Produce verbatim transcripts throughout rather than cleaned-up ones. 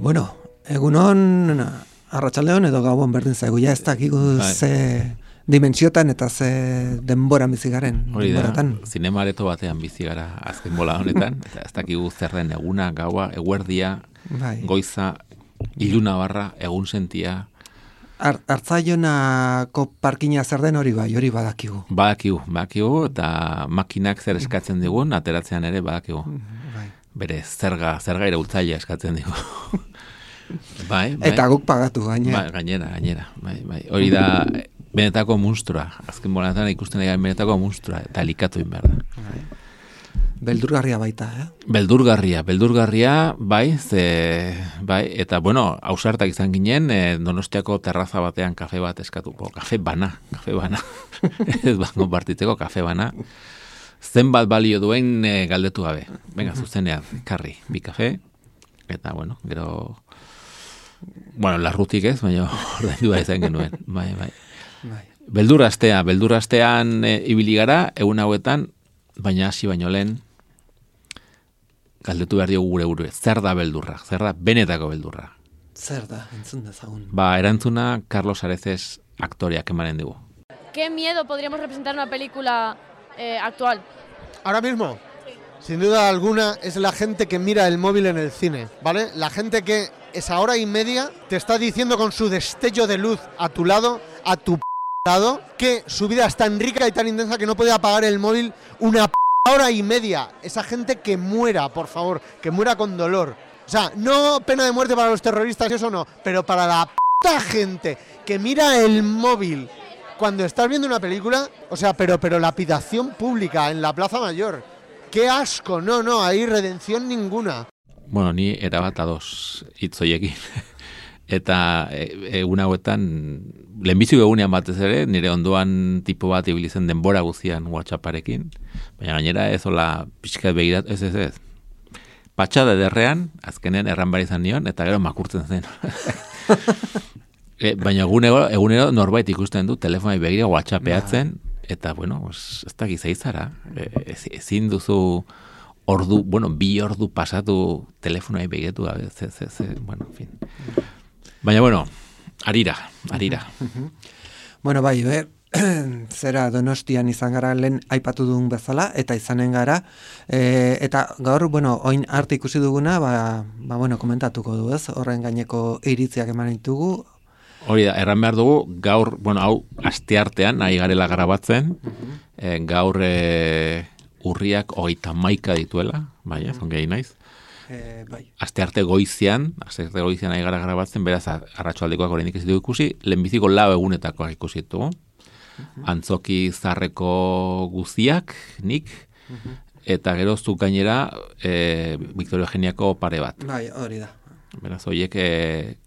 Bueno, egunon arratsaldeon edo gauan berdin zaigu, ja ez dakigu ze dimentsiotan eta ze denbora bizi garen. Hori da, zinema areto batean bizi gara azken bola honetan, eta ez dakigu zer den eguna, gaua, eguerdia, bai. Goiza, iluna barra, egun sentia. Ar, Artzaionako parkina zer den hori bai, hori badakigu. Badakigu, badakigu, eta makinak zer eskatzen digun, ateratzean ere badakigu. Bai. Bere zerga, zerga iraultzailea eskatzen digu. Bai, bai. Eta guk pagatu gainera. Bai, gainera, gainera. Bai, bai. Hori da benetako munstroa. Azken bolatan ikusten dira benetako munstroa eta elikatu behar da. Bai. Beldurgarria baita, eh? Beldurgarria, beldurgarria, bai, ze, bai, eta bueno, ausartak izan ginen, eh, Donostiako terraza batean kafe bat eskatuko, kafe bana, kafe bana. Ez bango partitzeko kafe bana. Zenbat balio duen e, galdetu gabe. Venga, zuzenean, karri, bi kafe, eta bueno, gero, bueno, larrutik ez, baina ordaindu da izan genuen, bai, bai. Bai. Beldurrastea, beldurrastean e, ibili gara, egun hauetan, baina hasi baino lehen, galdetu behar diogu gure gure, zer da beldurra, zer da benetako beldurra. Zer da, entzun dezagun. Ba, erantzuna Carlos Areces aktoreak emanen dugu. ¿Qué miedo podríamos representar en una película eh, actual? Ahora mismo, sí. Sin duda alguna, es la gente que mira el móvil en el cine, ¿vale? La gente que esa hora y media te está diciendo con su destello de luz a tu lado, a tu p lado, que su vida es tan rica y tan intensa que no puede apagar el móvil una p hora y media. Esa gente que muera, por favor, que muera con dolor. O sea, no pena de muerte para los terroristas, eso no, pero para la p gente que mira el móvil cuando estás viendo una película, o sea, pero, pero lapidación pública en la Plaza Mayor. ¡Qué asco! No, no, hay redención ninguna. Bueno, ni erabat ados hitzoiekin. Eta egun hauetan, lehenbiziko egunean batez ere, nire ondoan tipo bat ibili zen denbora guztian WhatsApparekin, baina gainera ez hola pixkat begirat, ez ez ez. Patxada ederrean, azkenen erran bar izan nion, eta gero makurtzen zen. E, baina egunero, egunero norbait ikusten du telefonai begira WhatsAppeatzen, eta bueno, pues, ez dakiz eizara. E, ezin duzu ordu, bueno, bi ordu pasatu telefonai begiratu gabe, ze, ze, ze, bueno, en fin. Baina bueno, arira, arira. Bueno, bai, be, zera Donostian izan gara lehen aipatu duen bezala, eta izanen gara, e, eta gaur, bueno, oin arte ikusi duguna, ba, ba, bueno, komentatuko du, ez? Horren gaineko iritziak eman ditugu. Hori da, erran behar dugu, gaur, bueno, hau, asteartean, nahi garela grabatzen, uh-huh. e, gaur e, urriak hogeita maika dituela, bai, ez, ongei naiz. E, bai. Astearte goizian, astearte goizian nahi gara grabatzen, beraz, arratsaldekoak oraindik ez ditugu ikusi, lehenbiziko lau egunetakoak ikusi ditugu. Uh-huh. Antzoki zarreko guziak, nik, uh-huh. eta gero zuk gainera, e, Victoria Eugeniako pare bat. Bai, hori da. Beraz, horiek e,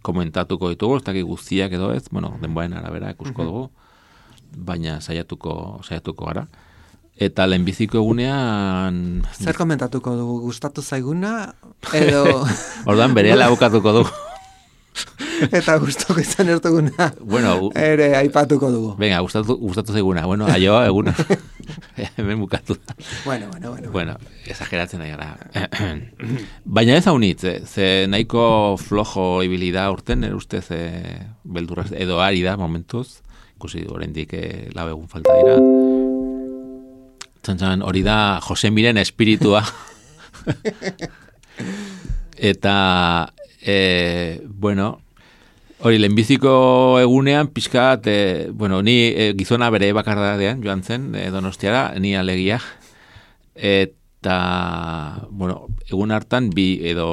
komentatuko ditugu, ez dakik guztiak edo ez, bueno, denboaren arabera ikusko dugu, baina saiatuko, saiatuko gara. Eta lehenbiziko egunean... Zer komentatuko dugu, gustatu zaiguna, edo... Ordan berehala bukatuko dugu. Eta gustoko izan ertuguna, bueno, ere aipatuko dugu. Venga, gustatu, gustatu zaiguna, bueno, aioa eguna. Hemen bukatu. Bueno, bueno, bueno. Bueno, exageratzen nahi gara. Baina ez haunitz, ze nahiko flojo ibili da urten, ere ustez e, beldurraz, edo ari da momentuz, ikusi oraindik e, lau egun falta dira. Txantxan, hori da Jose Miren espiritua. Eta, e, bueno... Hori, lehenbiziko egunean, pixkat, e, bueno, ni e, gizona bere bakardadean joan zen, e, Donostiara, ni alegia. Eta, bueno, egun hartan, bi edo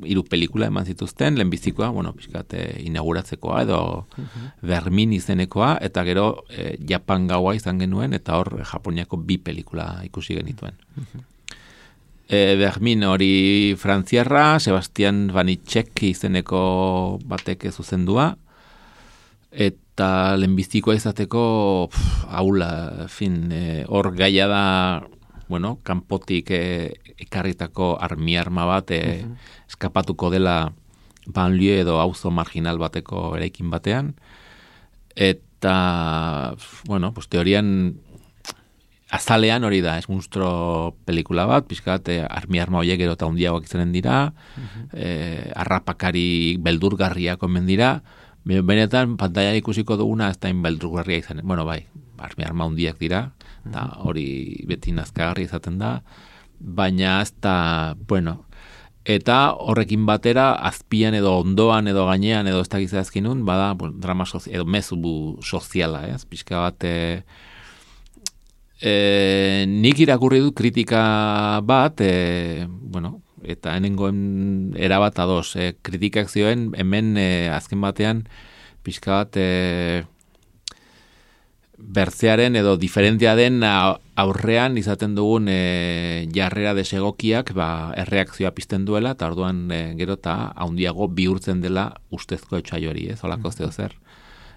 hiru pelikula eman zituzten, lehenbizikoa, bueno, pixkat, e, inauguratzekoa, edo uh-huh. Bermin izenekoa, eta gero e, Japan gaua izan genuen, eta hor Japoniako bi pelikula ikusi genituen. Uh-huh. E, Bermin hori frantziarra, Sebastian Vanitschek izeneko batek zuzendua, eta lehenbizikoa izateko pff, haula, fin, hor e, gaia da, bueno, kanpotik e, ekarritako armi-arma bat e, uh-huh. eskapatuko dela banlieue edo auzo marginal bateko eraikin batean, eta, bueno, pues teorian azalean hori da, ez monstro pelikula bat, pixkat, eh, armi-arma horiek gero eta hundiagoak izanen dira, uh-huh. eh, arrapakari beldurgarriak omen dira, benetan pantalla ikusiko duguna ez da beldurgarria izanen, bueno bai, armi-arma hundiak dira, eta uh-huh. hori beti nazkagarri izaten da, baina ez da, bueno, eta horrekin batera, azpian edo ondoan edo gainean edo ez da gizazkinun, bada, bueno, drama sozial, edo mezu soziala, ez, pixka bat, eh, E, nik irakurri dut kritika bat, e, bueno, eta henengoen erabat ados, e, kritikak zioen hemen e, azken batean pixka bat e, bertzearen edo diferentea den aurrean izaten dugun e, jarrera desegokiak ba, erreakzioa pizten duela, eta orduan e, gero eta handiago bihurtzen dela ustezko etxai hori, ez, olako zeo zer.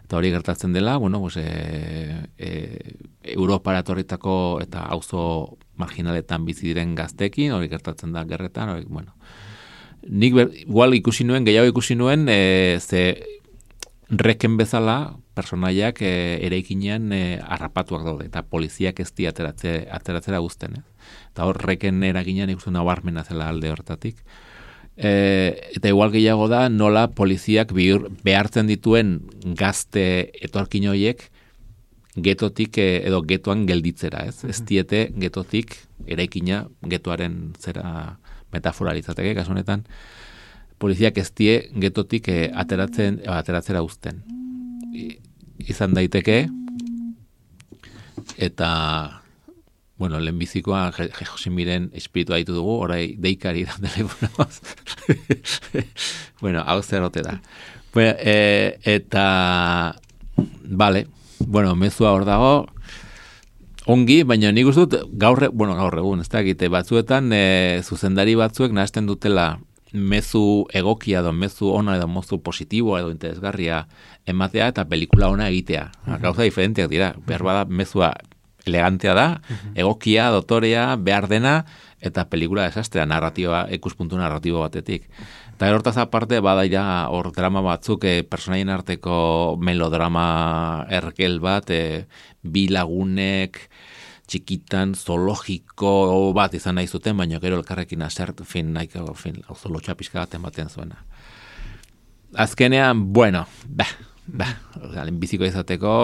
Eta hori gertatzen dela, bueno, pues, e, e, Europara etorritako eta auzo marginaletan bizi diren gaztekin, hori gertatzen da gerretan, hori, bueno. Nik ber, igual ikusi nuen, gehiago ikusi nuen, e, ze reken bezala, personaiak e, eraikinean e, harrapatuak daude, eta poliziak ez di ateratze, ateratzera guzten, eh? Eta hor reken eraginean ikusten nabarmena zela alde horretatik. E, eta igual gehiago da nola poliziak bihur, behartzen dituen gazte etorkin horiek getotik e, edo getoan gelditzera, ez? Ez diete getotik eraikina getoaren zera metaforalizateke, kasu honetan poliziak ez die getotik e, ateratzen, e, ateratzera uzten. I, izan daiteke eta bueno, lehenbizikoa Josemiren espiritua ditu dugu, orai deikari da telefonoz. Bueno, hau zerote da. Bueno, e, eta, vale, bueno, mezua hor dago, ongi, baina nik uste dut, gaur, bueno, gaur egun, ez da, egite batzuetan, e, zuzendari batzuek nahazten dutela mezu egokia edo mezu ona edo mezu positiboa edo interesgarria ematea eta pelikula ona egitea. Uh-huh. Gauza diferenteak dira, behar bada mezua elegantea da, uh-huh. egokia, dotorea, behar dena, eta pelikula desastrea, narratiba, ikuspuntu narratibo batetik. Eta hortaz aparte, badaira hor drama batzuk, e, personaien arteko melodrama ergel bat, e, bi lagunek, txikitan, zoologiko bat izan nahi zuten, baina gero elkarrekin asert, fin, nahiko, fin, auzolotxa pixka bat ematen zuena. Azkenean, bueno, bah, bah, lehenbiziko izateko,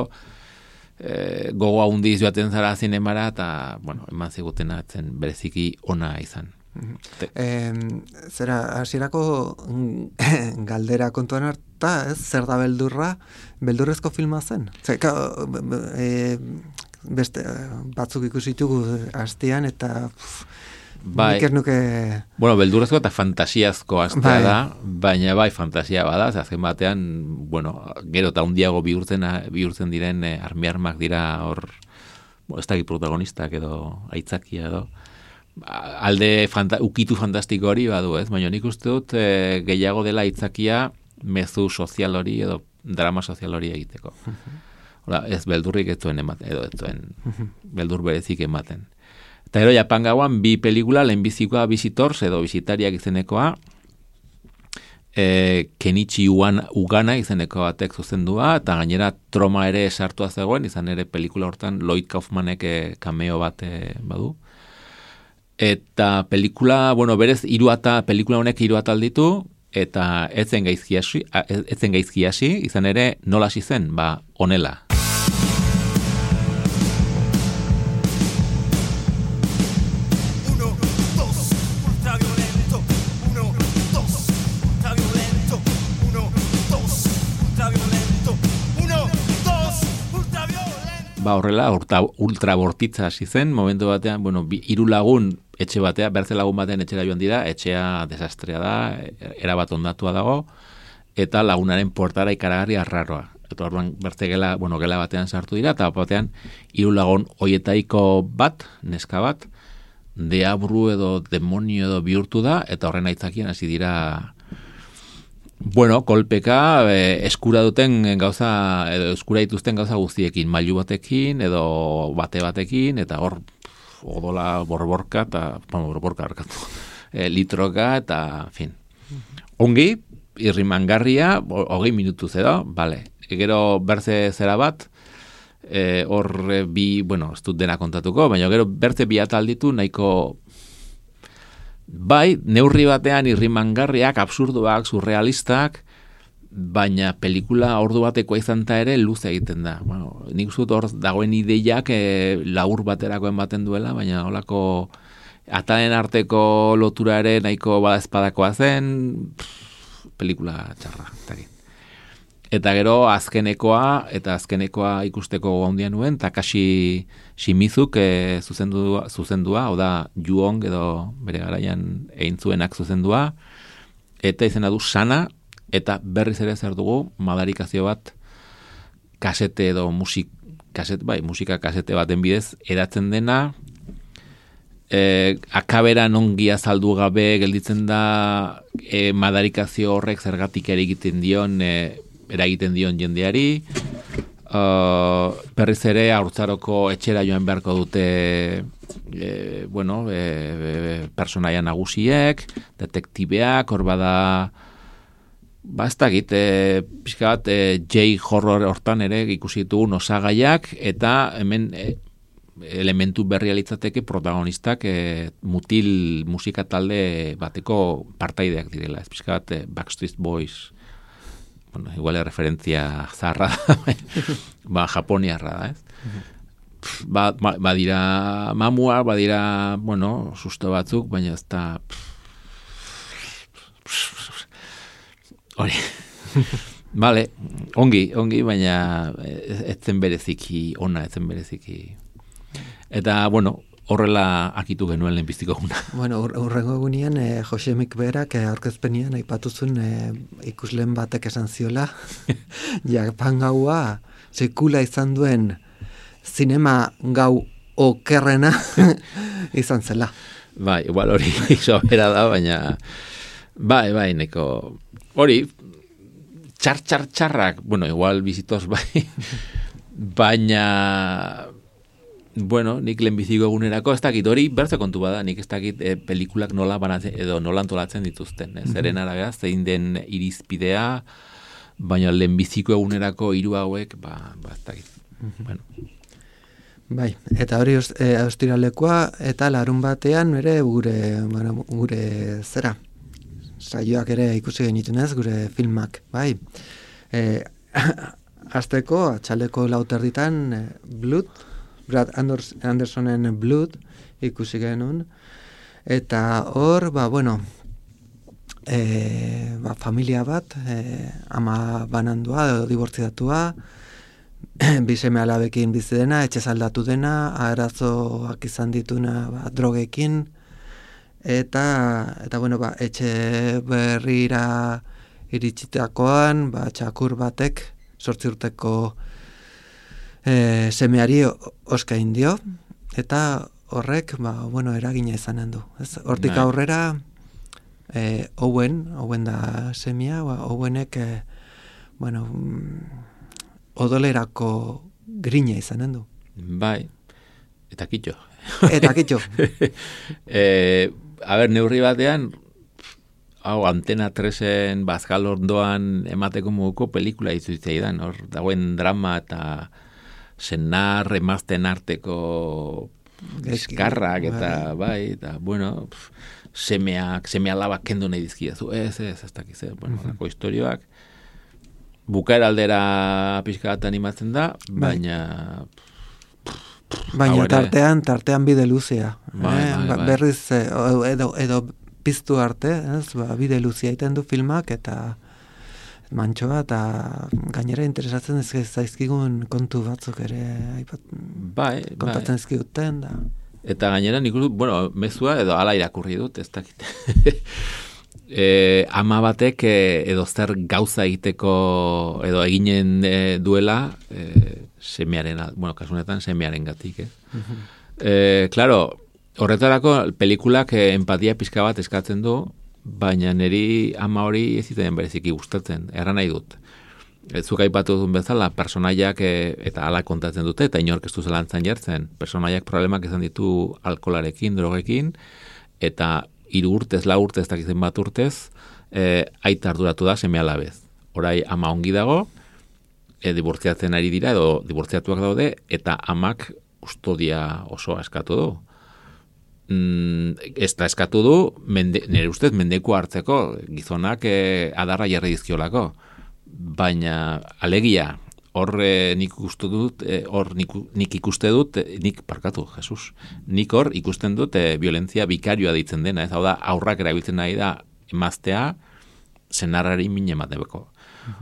E, gogo handiz joaten zara zinemara eta, bueno, eman zigutena zen bereziki ona izan. E, zera, hasierako galdera kontuan harta, ez, zer da beldurra, beldurrezko filma zen? Zer, e, beste, batzuk ikusitugu hastian eta pff, bai, nik ez nuke... Bueno, beldurrezko eta fantasiazko astea bai. da, baina bai fantasia bada, azken batean, bueno, gero eta hundiago bihurtzen, bihurtzen diren eh, armi-armak dira hor, bo, ez dakit protagonistak edo aitzakia edo, alde fanta, ukitu fantastiko hori badu, ez? Baina nik uste dut eh, gehiago dela aitzakia mezu sozial hori edo drama sozial hori egiteko. Hola, ez beldurrik ez duen ematen, edo ez duen beldur berezik ematen. Eta gero Japan gauan bi pelikula, lehenbizikoa Visitors edo Bisitariak izenekoa, e, Kenichi Ugana izeneko batek zuzendua, eta gainera Troma ere sartua zegoen, izan ere pelikula hortan Lloyd Kaufmanek cameo bat e, badu. Eta pelikula, bueno, berez hiru ata, pelikula honek hiru atal ditu, eta ez zen gaizki hasi, ez zen gaizki hasi, izan ere nola hasi zen, ba, honela. Ba, horrela, ultra bortitza hasi zen, momentu batean, bueno, hiru lagun etxe batea, bertze lagun batean etxera joan dira, etxea desastrea da, erabat ondatua dago, eta lagunaren portara ikaragarri arraroa. Eta orduan bertze gela, bueno, gela batean sartu dira, eta batean hiru lagun hoietaiko bat, neska bat, deabru edo demonio edo bihurtu da, eta horren aitzakien hasi dira, bueno, kolpeka e, eskura duten gauza, edo eskura dituzten gauza guztiekin, mailu batekin, edo bate batekin, eta hor, odola borborka, eta, bueno, borborka harkatu, e, litroka, eta, en fin. Ongi, irrimangarria, hogei minutuz edo, bale. Gero berze zera bat, e, hor bi, bueno, ez dut dena kontatuko, baina gero berze bi atalditu nahiko, bai, neurri batean irrimangarriak, absurduak, surrealistak, baina pelikula ordu batekoa izan ta ere luze egiten da. Bueno, nik zut hor dagoen ideiak e, laur baterako ematen duela, baina holako atalen arteko lotura ere nahiko badaezpadakoa zen, pff, pelikula txarra, taki. Eta gero azkenekoa, eta azkenekoa ikusteko handia nuen, Takashi Shimizuk e, zuzendua, zuzendua, hau da Ju-on edo bere garaian egin zuenak zuzendua, eta izena du Sana, eta berriz ere zer dugu madarikazio bat kasete edo musik, kaset, bai, musika kasete baten bidez edatzen dena, e, akabera ongi azaldu gabe gelditzen da e, madarikazio horrek zergatik ere egiten dion, e, eragiten dion jendeari, uh, berriz ere haurtzaroko etxera joan beharko dute e, bueno, e, e, personaia nagusiek, detektibeak, hor bada ba ez dakit, e, pixka bat e, J-horror hortan ere ikusi ditugun osagaiak, eta hemen e, elementu berria litzateke protagonistak e, mutil musika talde bateko partaideak direla, ez pixka bat e, Backstreet Boys, bueno, igual referentzia zarra ba, japoniarra da, ez? Ba, ba, badira mamua, badira, bueno, susto batzuk, baina ez da hori. Vale, ongi, ongi, baina ez zen bereziki ona, ez zen bereziki. Eta, bueno, horrela akitu genuen lehenbiztiko guna. Bueno, urrengo egunean, eh, Josemik berak eh, aurkezpenian aipatuzun eh, ikusleen batek esan ziola, Japan gaua sekula izan duen zinema gau okerrena izan zela. Bai, igual hori sobera da, baina bai, bai, neko hori, txar, txar, txarrak, bueno, igual bizitoz bai, baina bueno, nik lehenbiziko egunerako, ez dakit hori, berze kontu bada, nik ez dakit e, pelikulak nola banatzen, edo nola antolatzen dituzten, ez? Zeren arabea, zein den irizpidea, baina lehenbiziko egunerako hiru hauek, ba, ba ez dakit. Bueno. Bai, eta hori e, austiralekoa, eta larun batean, ere gure, bueno, gure zera, saioak ere ikusi genitunez, gure filmak, bai. E, Azteko, atxaleko lauterditan, e, Blood, Brad Andersonen Blood ikusi genuen, eta hor, ba, bueno, e, ba, familia bat, e, ama banandua, edo dibortziatua, bizeme alabekin bizi dena, etxe zaldatu dena, arazoak izan dituna ba, drogekin, eta, eta bueno, ba, etxe berrira iritsitakoan, ba, txakur batek, sortzi urteko E, semeari oskain dio, eta horrek, ba, bueno, eragina izanen du. Ez? Hortik Nahi. aurrera, e, Owen, Owen da semia, ba, Owenek, e, bueno, odolerako grina izanen du. Bai, eta kitxo. Eta kitxo. e, a ber, neurri batean, hau, Antena tresen bazkal ondoan emateko moduko pelikula izuitzeidan, hor dagoen drama eta senar, emazten arteko eskarrak eta bai, eta bueno, pf, semeak, seme alabak kendu nahi dizkiazu, ez, ez, ez dakiz, bueno, uh-huh. Lako historioak, bukaera aldera pixka bat animatzen da, baina baina tartean, tartean bide luzea, bai, eh? bai, bai. Berriz, edo, edo piztu arte, ez? Ba, bide luzea iten du filmak, eta mantxoa, eta gainera interesatzen ez zaizkigun kontu batzuk ere aipat, bai, kontatzen bai. ezkiguten da. Eta gainera nik uste, bueno, mezua edo ala irakurri dut, ez dakit. e, ama batek e, edo zer gauza egiteko edo eginen e, duela e, semearen, bueno, kasunetan semearen gatik, eh? Uh-huh. E, claro, horretarako pelikulak empatia pizka bat eskatzen du, baina niri ama hori ez ziten bereziki gustatzen, erran nahi dut. Zuk aipatu duen bezala, personaiak e, eta ala kontatzen dute, eta inork ez du zelantzan jartzen. Personaiak problemak izan ditu alkolarekin, drogekin, eta hiru urtez, lau urtez, eta izen bat urtez, e, aita arduratu da seme alabez. Orai ama ongi dago, e, dibortziatzen ari dira, edo dibortziatuak daude, eta amak kustodia osoa eskatu du. Mm, ez da eskatu du, mende, nire ustez mendeku hartzeko, gizonak e, adarra jarri dizkiolako. Baina alegia hor e, nik ikustu dut e, hor nik, nik ikuste dut e, nik parkatu, Jesus nik hor ikusten dut e, violentzia bikarioa deitzen dena, ez hau da aurrak erabiltzen nahi da emaztea senarrari min emateko.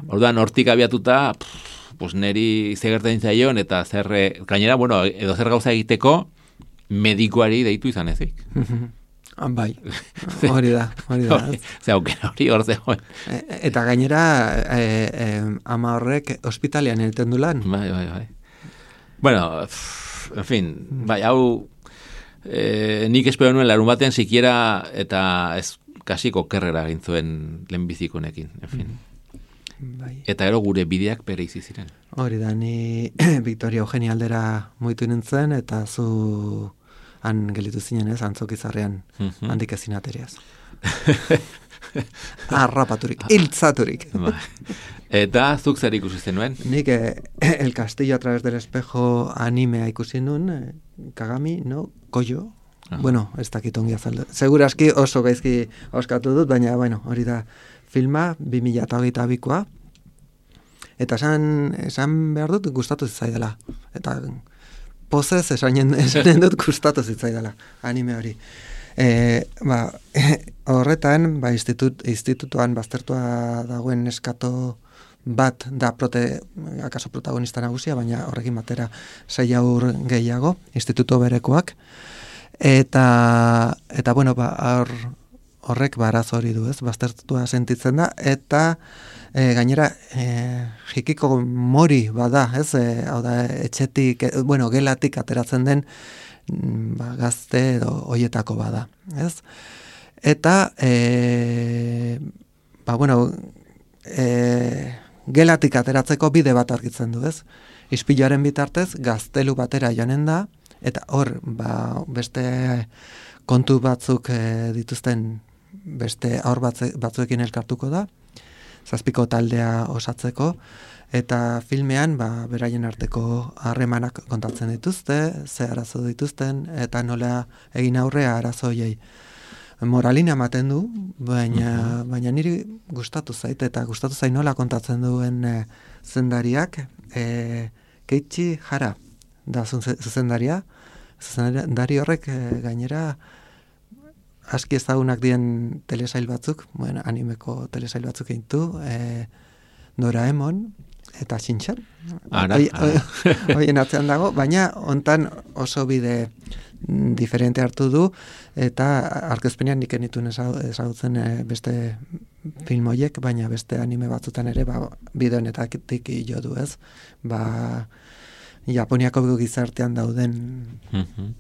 Orduan hortik abiatuta pff, pues neri zegertain zaion eta zer gainera bueno edo zer gauza egiteko medikuari deitu izan ezik. Bai, hori da, hori da. Ze aukera hori hor zegoen. Eta gainera, e, e, ama horrek ospitalian egiten du lan. Bai, bai, bai. Bueno, en fin, bai, hau e, nik espero nuen larun baten sikiera eta ez kasiko kerrera gintzuen lehenbizikonekin, en fin. Bai. Eta gero gure bideak bere izi ziren. Hori da, ni Victoria Eugenia aldera muitu nintzen, eta zu han gelitu zinen ez, antzokizarrean mm-hmm. handik ezin ateriaz. Arrapaturik, hiltzaturik. Eta zuk zer ikusi zenuen? Nik eh, El Castillo a través del espejo animea ikusi nun, eh, Kagami, no, Koyo. Ah. Bueno, ez dakit ongi azaldu. Seguraski oso gaizki oskatu dut, baina, bueno, hori da filma, bi mila hogeita bikoa. Eta esan, esan behar dut gustatu zitzaidala. Eta pozez esanen, esanen dut gustatu zitzaidala, anime hori. E, ba, horretan, ba, institut, institutuan baztertua dagoen neskato bat da prote, akaso protagonista nagusia, baina horrekin batera sei haur gehiago, instituto berekoak. Eta, eta bueno, ba, hor, horrek baraz hori du, ez, baztertua sentitzen da, eta e, gainera e, jikiko mori bada, ez, e, hau da, etxetik, e, bueno, gelatik ateratzen den ba, gazte edo hoietako bada, ez? Eta, e, ba, bueno, e, gelatik ateratzeko bide bat argitzen du, ez? Ispiloaren bitartez, gaztelu batera joanen da, eta hor, ba, beste kontu batzuk e, dituzten beste aur batzuekin elkartuko da, zazpiko taldea osatzeko, eta filmean ba, beraien arteko harremanak kontatzen dituzte, ze arazo dituzten, eta nola egin aurrea arazoiei. Moralina ematen du, baina, uh-huh. baina niri gustatu zait, eta gustatu zait nola kontatzen duen e, zuzendariak, e, Keiichi Hara da zuzendaria, zuzendari horrek e, gainera aski ezagunak dien telesail batzuk, bueno, animeko telesail batzuk eintu, e, Doraemon eta Shinchan. Hoien atzean dago, baina hontan oso bide diferente hartu du, eta aurkezpenean nik enituen ezagutzen e, beste film horiek, baina beste anime batzutan ere ba, bide honetatik jo du, ez? Ba, Japoniako gizartean dauden mm-hmm.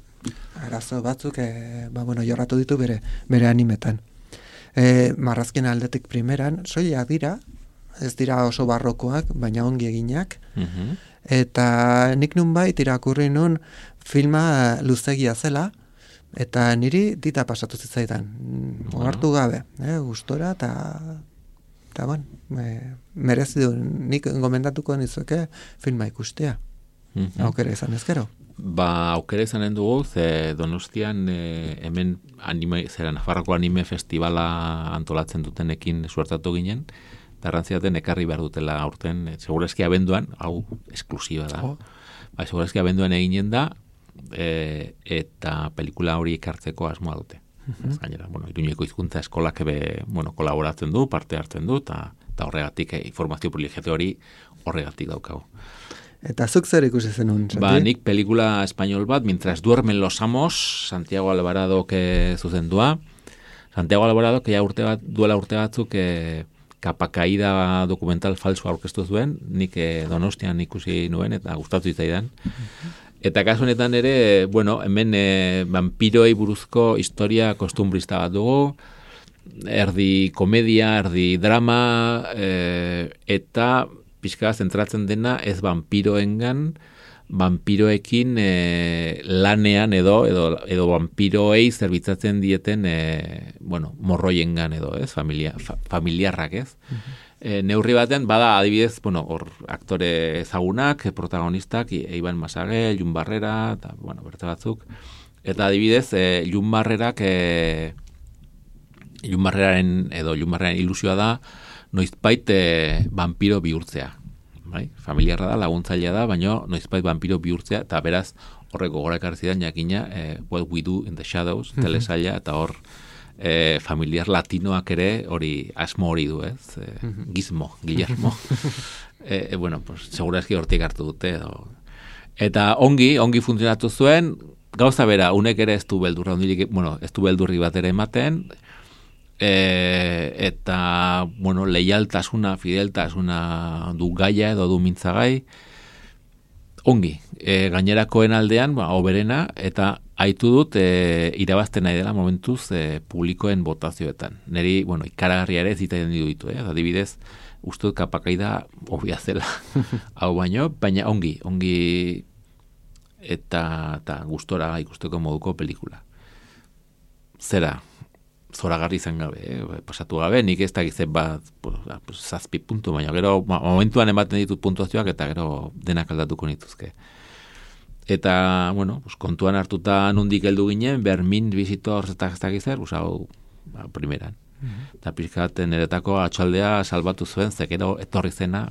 arazo batzuk e, ba, bueno, jorratu ditu bere, bere animetan. E, marrazken aldetik primeran, soileak dira, ez dira oso barrokoak, baina ongi eginak, mm-hmm. eta nik nunbait irakurri nun filma luzegia zela, eta niri dita pasatu zitzaidan, ohartu gabe, eh, gustora, eta eta bon, e, merezi du, nik gomendatuko nizueke filma ikustea. Mm-hmm. Aukera izan ezkero. Ba, aukera izanen dugu, ze Donostian e, hemen anime, zera Nafarroko anime festivala antolatzen dutenekin suertatu ginen, garrantziaten ekarri behar dutela aurten, e, segurazki abenduan, hau esklusiba da, oh. ba, segurazki abenduan eginen da, e, eta pelikula hori ekartzeko asmoa dute. Uh-huh. Gainera, bueno, Iruñeko hizkuntza eskolak ebe, bueno, kolaboratzen du, parte hartzen du, eta horregatik e, informazio privilegio hori horregatik daukagu. Eta zuk zer ikusi zenun, Santi? Ba, nik pelikula espainol bat, Mientras duermen los amos, Santiago Alvarado ke zuzendua. Santiago Alvarado, que ya urte bat, duela urte batzuk, e, kapakaida dokumental falso aurkeztu zuen, nik e, Donostian ikusi nuen, eta gustatu zitzaidan. Eta kasu honetan ere, bueno, hemen e, vampiroei buruzko historia kostumbrista bat dugu, erdi komedia, erdi drama, e, eta pixka zentratzen dena ez vampiroengan, vampiroekin e, lanean edo, edo, edo vampiroei zerbitzatzen dieten, e, bueno, morroiengan edo, ez, familia, fa, familiarrak, ez. Uh-huh. E, neurri batean, bada adibidez, bueno, hor aktore ezagunak, protagonistak, Iban Masagel, Jon Barrera, eta, bueno, berte batzuk. Eta adibidez, e, Jon Barrerak, e, Jon Barreraren, edo Jon Barreraren ilusioa da, noizbait e, vampiro bihurtzea. Bai? Familiarra da, laguntzailea da, baina noizbait vampiro bihurtzea, eta beraz, horrek gogora ekarri zidan, jakina, e, What We Do in the Shadows, mm-hmm. telesaila, eta hor, E, familiar latinoak ere hori asmo hori du, ez? E, Gizmo, Guillermo. e, e, bueno, pues, segurazki hortik hartu dute. Edo. Eta ongi, ongi funtzionatu zuen, gauza bera, unek ere ez du beldurra, ondirik, bueno, ez du beldurri bat ere ematen, e, eta, bueno, leialtasuna, fideltasuna du gaia edo du mintzagai, ongi, e, gainerakoen aldean, ba, oberena, eta haitu dut e, irabazten nahi dela momentuz e, publikoen botazioetan. Neri, bueno, ikaragarria ere zitaien ditu, eh? Adibidez, uste dut kapakaida obia zela hau baino, baina ongi, ongi eta, eta gustora ikusteko moduko pelikula. Zera, zoragarri izan gabe, eh? Pasatu gabe, nik ez dakizet bat pues, zazpi puntu, baina gero momentuan ematen ditut puntuazioak eta gero denak aldatuko nituzke. Eta, bueno, pues, kontuan hartuta nondik heldu ginen, Bermin Visitor eta ez dakizet, pues, hau, ba, primeran. Mm-hmm. Eta pixkat niretako atxaldea salbatu zuen, zekero etorri zena,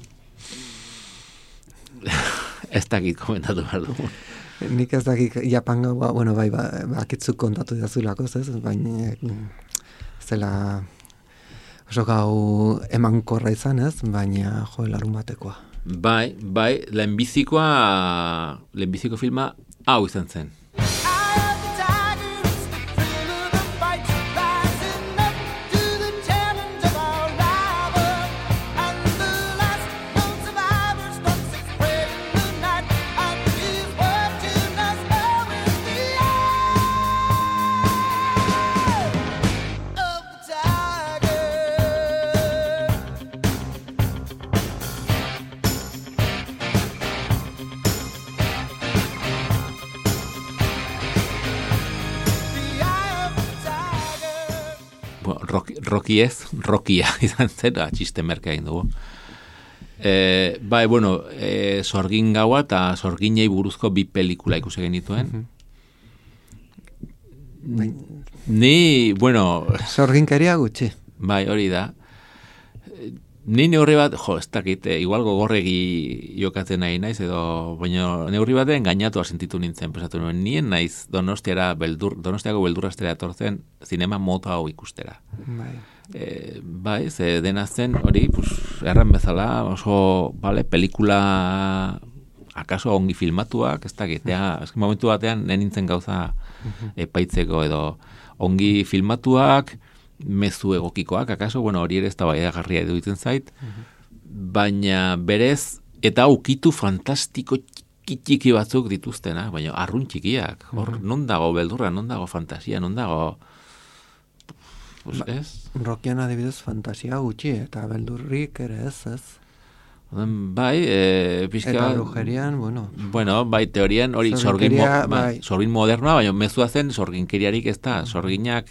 ez dakit komentatu behar dugu. Nik ez dakit Japan gaua, bueno, bai, ba, bakitzuk kontatu dazulako, ez, baina zela oso gau emankorra izan, ez, baina jo, larun batekoa. Bai, bai, lehenbizikoa, lehenbiziko filma hau izan zen. Rocky ez, Rockia izan zen, txiste merke egin dugu. E, bai, bueno, e, sorgin gaua eta sorginei buruzko bi pelikula ikusi genituen. Mm-hmm. Ni, bueno... Sorginkeria gutxi. Bai, hori da. Ni neurri bat, jo, ez dakit, eh, igual gogorregi jokatzen nahi naiz, edo, baina neurri baten gainatu sentitu nintzen, pesatu nuen, nien naiz Donostiara beldur, Donostiako beldurrastera etortzen, zinema mota hau ikustera. Bai. E, bai, ze dena zen, hori, pues, erran bezala, oso, vale, pelikula akaso ongi filmatuak, ez dakit, ja, ez momentu batean, nenintzen gauza epaitzeko, edo, ongi filmatuak, mezu egokikoak, akaso, bueno, hori ere ez da bai agarria eduitzen zait, baina berez, eta ukitu fantastiko txiki batzuk dituztena, baina arrun txikiak, hor, non dago beldurra, non dago fantasia, non dago, pues, ez? Rockian adibidez fantasia gutxi, eta beldurrik ere ez, ez? Bai, e, pixka... Eta brujerian, bueno... Bueno, bai, teorian, hori, sorgin, mo, bai, sorgin modernoa, baina mezua zen, sorginkeriarik ez da, sorginak,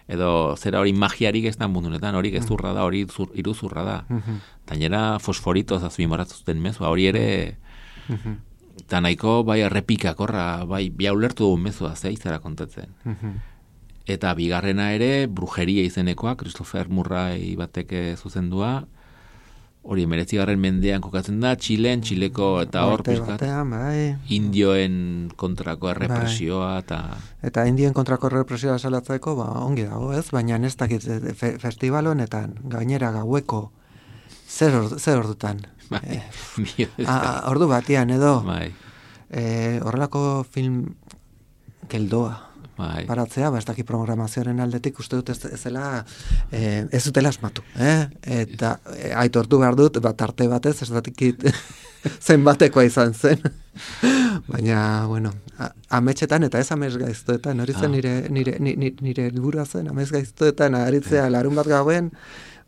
edo zera hori magiarik ez da mundunetan, hori gezurra da, hori zur, iruzurra da. Uh-huh. Tainera fosforitoz azpimarratzen mezua, hori ere, uh-huh. eta nahiko, bai, errepikakorra, bai, bia ulertu dugu mezua, zeizera kontatzen. Uh-huh. Eta bigarrena ere, brujeria izenekoa, Christopher Murray bateke zuzendua, hori emeretzigarren mendean kokatzen da, Txilen, Txileko, eta hor, pizkat, bai. Indioen kontrako errepresioa, eta... Eta indien kontrako errepresioa salatzeko, ba, ongi dago, ez? Baina ez dakit fe, festival honetan, gainera gaueko, zer, ordu, zer ordutan? Bai, eh, a, ordu batian, edo, bai. eh, horrelako film geldoa. Bai. Paratzea, ba, ez daki programazioaren aldetik uste dut ez, ez zela, eh, ez dutela asmatu, eh? Eta eh, aitortu behar dut, bat arte batez, ez dakit zenbatekoa izan zen. Baina, bueno, a- ametxetan eta ez amets gaiztoetan, hori zen Ah. nire, nire, nire, nire helburua zen, amets gaiztoetan aritzea larun bat gauen,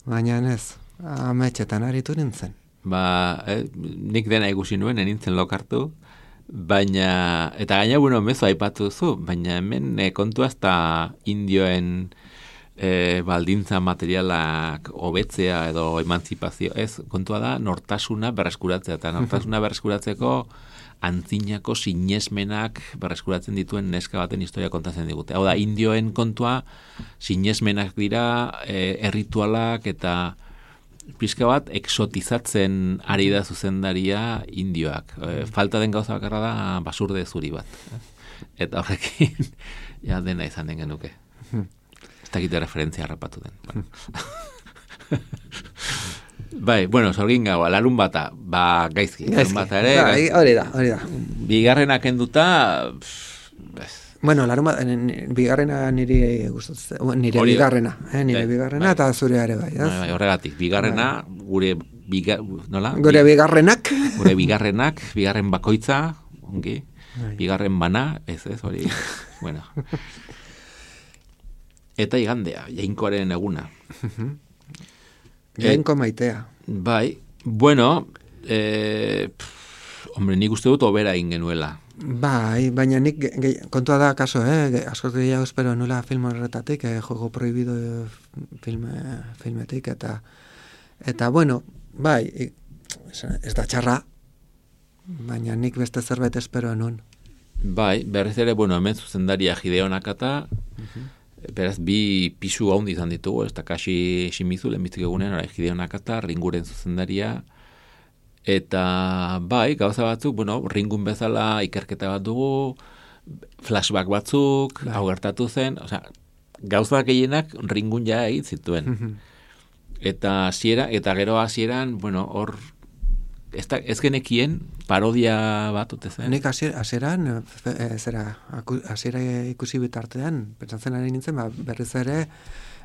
baina ez, ametxetan aritu nintzen. Ba, eh, nik dena ikusi nuen, enintzen lokartu, baina, eta gaina, bueno, mezu aipatu duzu, baina hemen eh, kontua ez da indioen eh, baldintza materialak hobetzea edo emantzipazio, ez, kontua da nortasuna berreskuratzea, eta nortasuna berreskuratzeko antzinako sinesmenak berreskuratzen dituen neska baten historia kontatzen digute. Hau da, indioen kontua sinesmenak dira, eh, erritualak eta pixka bat exotizatzen ari da zuzendaria indioak. E, falta den gauza bakarra da basurde zuri bat. Eta horrekin ja dena izan den genuke. Ez dakite referentzia harrapatu den. Bueno. Bai, bueno, sorgin gaua, larun bata, ba gaizki. Larun bata ere, Bai, hori da, hori da. bigarrenak enduta, pff, Bueno, larun bat, n- bigarrena niri gustatzen, nire Hori- bigarrena, eh, nire Bai, bigarrena bai. eta zurea ere bai, ez? bai, bai, horregatik, bigarrena, gure, biga, nola? Gure bigarrenak, Gure bigarrenak, bigarren bakoitza, ongi, Bai. bigarren bana, ez ez, hori, bueno. Eta igandea, jainkoaren eguna. jainko maitea. Bai, bueno, eh, pff, hombre, nik uste dut obera egin genuela. Bai, baina nik ge- ge- kontua da kaso, eh, ge- askoz gehiago espero nula film horretatik, eh, juego prohibido eh, filme, filmetik, eta eta bueno, bai, i- ez, ez da txarra, baina nik beste zerbait espero nun. Bai, berriz ere, bueno, hemen zuzendaria Hideo Nakata, beraz, bi pisu haundi izan ditugu, ez Takashi Shimizu, lehenbiztik egunean, ora, Hideo Nakata, Ringuren zuzendaria, eta bai, gauza batzuk, bueno, Ringun bezala ikerketa bat dugu, flashback batzuk, Bai. hau gertatu zen, osea, gauza gehienak Ringun ja egin zituen. Eta hasiera eta gero hasieran, bueno, hor ez, da, ez genekien parodia bat ote zen. Nik hasier- hasieran, eh, fe- eh, zera, aku- hasiera ikusi bitartean, pentsatzen ari nintzen, ba, berriz ere,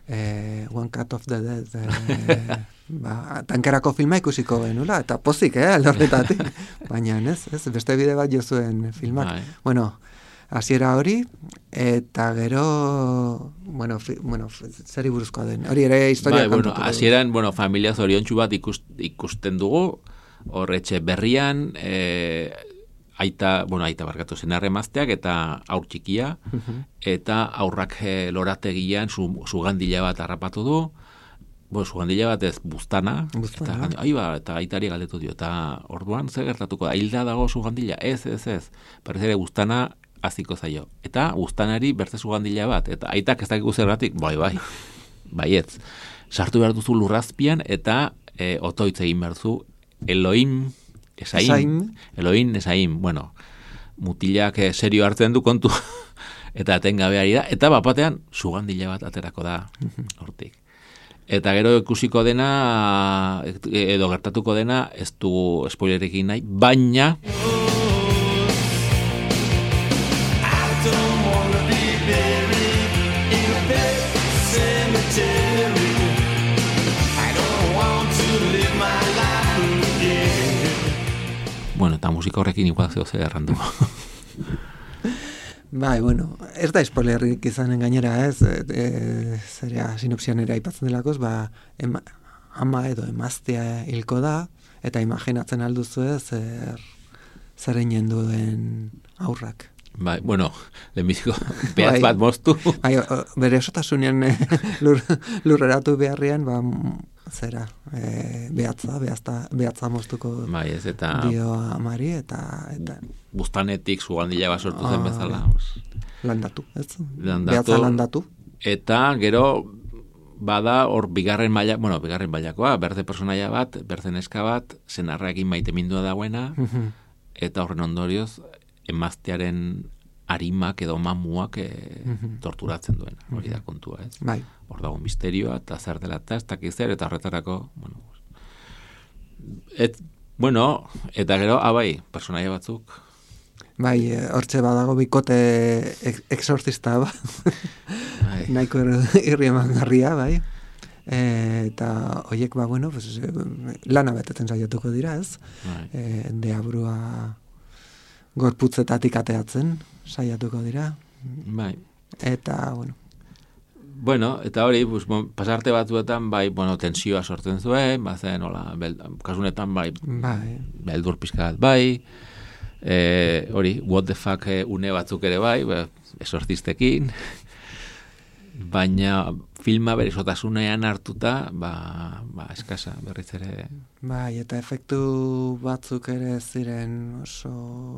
eh, One Cut of the Dead, eh, ba, tankerako filma ikusiko genula, eta pozik, eh, alde horretatik. Baina, ez, ez, beste bide bat jo zuen filmak. Bai. Bueno, hasiera hori, eta gero, bueno, fi, bueno, f- zeri buruzkoa den, hori ere historia Bai, bueno, kontatuko du. hasieran, bueno, familia zoriontsu bat ikust, ikusten dugu, horretxe berrian, e, aita, bueno, aita barkatu senarre emazteak eta aur txikia, eta aurrak e, lorategian su, sugandila bat harrapatu du, bueno, sugandila bat ez buztana, Buztana. eta gandi- ai ba, eta aitari galdetu dio, eta orduan zer gertatuko da, hilda dago sugandila, ez, ez, ez, berriz ere buztana haziko zaio, eta buztanari bertze sugandila bat, eta aitak ez dakigu zergatik, bai, bai, baietz, sartu behar duzu lurrazpian, eta e, otoitz egin behar duzu, Elohim, Esaim, Esaim. Elohim, Esaim, bueno, mutilak eh, serio hartzen du kontu, eta atengabe ari da, eta bapatean sugandila bat aterako da hortik. Eta gero ikusiko dena, edo gertatuko dena, ez du spoilerekin nahi, baina bueno, eta musika horrekin igual zeo zer errandu. Bai, bueno, ez da spoilerrik izanen gainera, ez, e, e, zerea sinopsian ere aipatzen delakoz, ba, ema, ama edo emaztea hilko da, eta imaginatzen alduzu ez, zer, zer eginen duen aurrak. Bai, bueno, lehenbiziko behaz Bai. bat moztu. Bai, o- o- bere esotasunean eh, lur, lurreratu beharrian, ba, m- zera, e, behatza, behatza, behatza moztuko Bai, ez, eta dio amari, eta, eta buztanetik sugandila bat sortu zen Ah, bezala. bai. Pues. landatu, ez? Landatu. Behatza landatu. Eta gero bada hor bigarren maila, bueno, bigarren mailakoa, berde personaia bat, berde neska bat, senarraekin maite mindua dagoena, Mhm. eta horren ondorioz emaztearen arimak edo mamuak e, Mhm. torturatzen duena. Hori da kontua, ez? Bai. Hor dago misterioa, eta zer dela eta ez dakiz zer, eta horretarako, bueno, et, bueno, eta gero, abai, personaia batzuk, Bai, eh, hortxe badago bikote ex- exorcista ba. bai, Nahiko ir- irri emangarria, bai. E, eta hoiek, ba, bueno, pues, eh, lana betetzen saiatuko dira, ez? bai. E, deabrua gorputzetatik ateatzen, saiatuko dira. Bai. Eta, bueno. Bueno, eta hori, pues, bon, pasarte batzuetan, bai, bueno, tensioa sortzen zuen, bazen, hola, bel, kasunetan, bai, bai. beldur pizkat, bai, e, hori, what the fuck une batzuk ere bai, ba, esortistekin, baina filma berizotasunean hartuta, ba, ba, eskasa, berriz ere. Bai, eta efektu batzuk ere ziren oso,